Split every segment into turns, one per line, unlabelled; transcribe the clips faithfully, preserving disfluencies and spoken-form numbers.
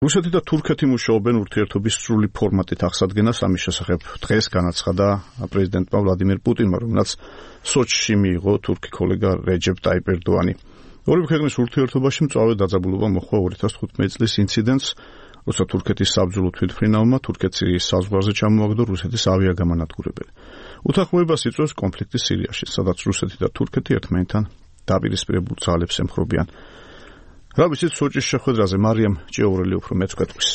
რუსეთი და თურქეთი მუშაობენ ურთიერთობის სრული ფორმატით აღსადგენას, ამის შესახებ დღეს განაცხადა პრეზიდენტმა ვლადიმირ პუტინმა, რომელსაც სოჩში მიიღო თურქი კოლეგა რეჯეპ ტაიპ ერდოანი. ორივე ქვეყნის ურთიერთობაში მწვავე დაძაბულობა მოჰყვა ორი ათას თხუთმეტი წლის ინციდენტს, როცა თურქეთის საბრძოლო თვითმფრინავმა თურქეთ-სირიის საზღვარზე ჩამოაგდო რუსეთის ავიაგამანადგურებელი. უთანხმოებას იწვევს კონფლიქტი სირიაში, სადაც რუსეთი და თურქეთი ერთმანეთთან დაპირისპირებულ ძალებს ემხრობიან. რა ვიცით სოჭის შეხვედრაზე მარიამ ჭიაურელი უფრო მეც გვეტყვის.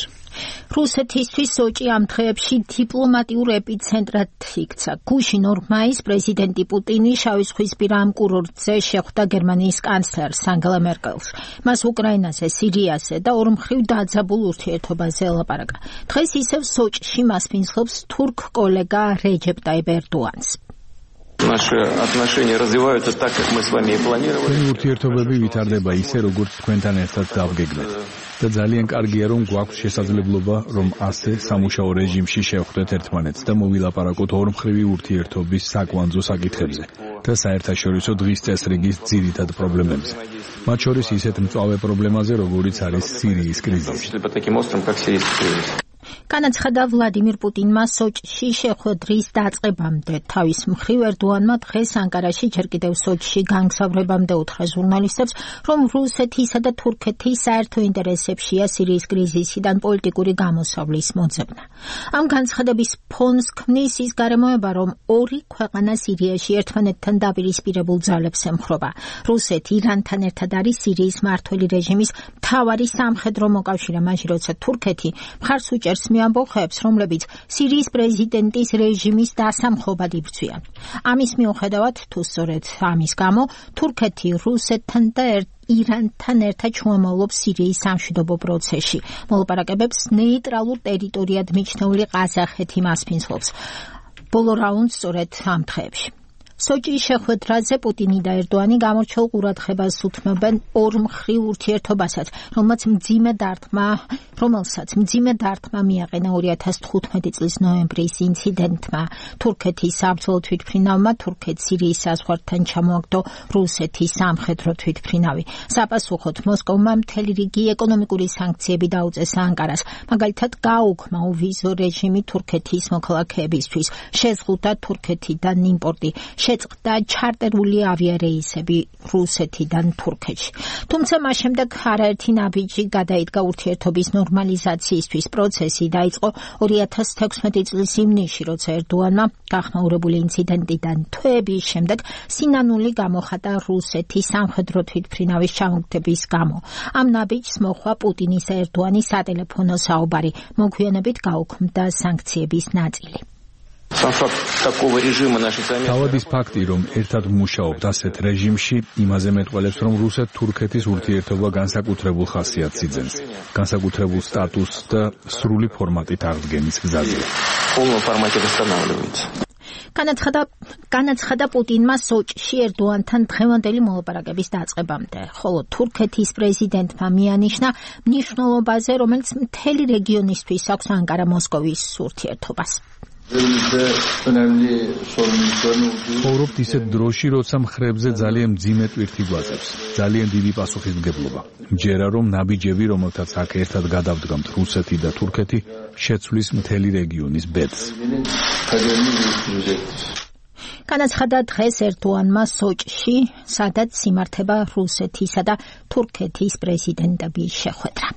რუსეთისთვის სოჭი ამ დღეებში დიპლომატიურ ეპიცენტრად იქცა. გუშინ ორ მაისს პრეზიდენტი პუტინი შავი ზღვისპირა ამ კურორტზე შეხვდა გერმანიის კანცლერს ანგელა მერკელს. მას უკრაინაზე, სირიაზე და ორმხრივ დაძაბულ ურთიერთობაზე ელაპარაკა. დღეს ისევ სოჭში მას ფინსლობს თურქ კოლეგა რეჯეპ ტაიპ ერდოანს.
Наши отношения развиваются так, как мы с вами и планировали.
ურთიერთობები ვითარდება ისე, როგორც თქვენთან ერთად დავგეგმეთ. და ძალიან კარგია, რომ გვაქვს შესაძლებლობა, რომ ასე სამუშაო რეჟიმში შევხვდეთ ერთმანეთს და მოვილაპარაკოთ ორმხრივი ურთიერთობის საკვანძო საკითხებზე და საერთაშორისო დღის წესრიგის ძირითად პრობლემებზე. მათ შორის ისეთ მწვავე პრობლემაზე, როგორიც არის სირიის კრიზისი.
განაცხადა ვლადიმირ პუტინმა სოჭში შეხვედრის დაწყებამდე. თავის მხრივ ერდოანმა დღეს ანკარაში ჯერ კიდევ სოჭში განგზავრებამდე უთხრა ჟურნალისტებს, რომ რუსეთისა და თურქეთის საერთო ინტერესებშია სირიის კრიზისიდან პოლიტიკური გამოსავლის მოძებნა. ამ განცხადების ფონს ქმნის ის გარემოება, რომ ორი ქვეყანა სირიაში ერთმანეთთან დაპირისპირებულ ძალებს ემხრობა. რუსეთი ირანთან ერთად არის სირიის მმართველი რეჟიმის მთავარი სამხედრო მოკავშირე, მაშინ როცა თურქეთი მხარს უჭერს ამბოხებს, რომლებიც სირიის პრეზიდენტის რეჟიმის დასამხობად იბრძვიან. ამის მიუხედავად, თუ სწორედ ამის გამო, თურქეთი რუსეთთან და ირანთან ერთად შუამავლობს სირიის სამშვიდობო პროცესში. მოლაპარაკებებს ნეიტრალურ ტერიტორიად მიჩნეული ყაზახეთი მას ფინსლობს. ბოლო რაუნდს სწორედ ამ დღეებში. სოჭის შეხვედრაზე პუტინი და ერდოანი გამორჩეულ ყურადღებას უთმობენ ორმხრივ ურთიერთობასაც, რომელსაც მძიმე დარტყმა, რომელსაც მძიმე დარტყმა მიაყენა ორი ათას თხუთმეტი წლის ნოემბრის ინციდენტმა. თურქეთის საბრძოლო თვითმფრინავმა თურქეთ-სირიის საზღვართან ჩამოაგდო რუსეთის სამხედრო თვითმფრინავი. საპასუხოდ მოსკოვმა მთელი რიგი ეკონომიკური სანქციები დაუწესა ანკარას, მაგალითად გააუქმა ოვიზო რეჟიმი თურქეთის მოქალაქეებისთვის, შეზღუდა თურქეთიდან იმპორტი, შეწყდა ჩარტერული ავიარეისები რუსეთიდან თურქეთში. თუმცა მას შემდეგ არაერთი ნაბიჯი გადაიდგა ურთიერთობის ნორმალიზაციისთვის. პროცესი დაიწყო ორი ათას თექვსმეტი წლის ივნისში, როცა ერდოანმა გახმაურებული ინციდენტიდან თვეების შემდეგ სინანული გამოხატა რუსეთის სამხედრო თვითმფრინავის ჩამოგდების გამო. ამ ნაბიჯს მოჰყვა პუტინის და ერდოანის სატელეფონო საუბარი, მოგვიანებით გაუქმდა სანქციების ნაწილი.
თავად ის ფაქტი, რომ ერთად ვმუშაობთ ასეთ რეჟიმში, იმაზე მეტყველებს, რომ რუსეთ-თურქეთის ურთიერთობა განსაკუთრებულ ხასიათს იძენს, განსაკუთრებულ სტატუსს და სრული ფორმატით აღდგენის გზაზე.
განაცხადა განაცხადა პუტინმა სოჭში ერდოანთან დღევანდელი მოლაპარაკების დაწყებამდე, ხოლო თურქეთის პრეზიდენტმა მიანიშნა მნიშვნელობაზე, რომელიც მთელი რეგიონისთვის აქვს ანკარა მოსკოვის ურთიერთობას.
ვხოვრობთ ისეთ დროში, როცა მხრებზე ძალიან მძიმე ტვირთი გვაწევს, ძალიან დიდი პასუხისმგებლობა. მჯერა, რომ ნაბიჯები, რომელთაც აქ ერთად გადავდგამთ რუსეთი და თურქეთი, შეცვლის მთელი რეგიონის ბედს.
განაცხადა დღეს ერდოანმა სოჭში, სადაც იმართება რუსეთისა და თურქეთის პრეზიდენტების შეხვედრა.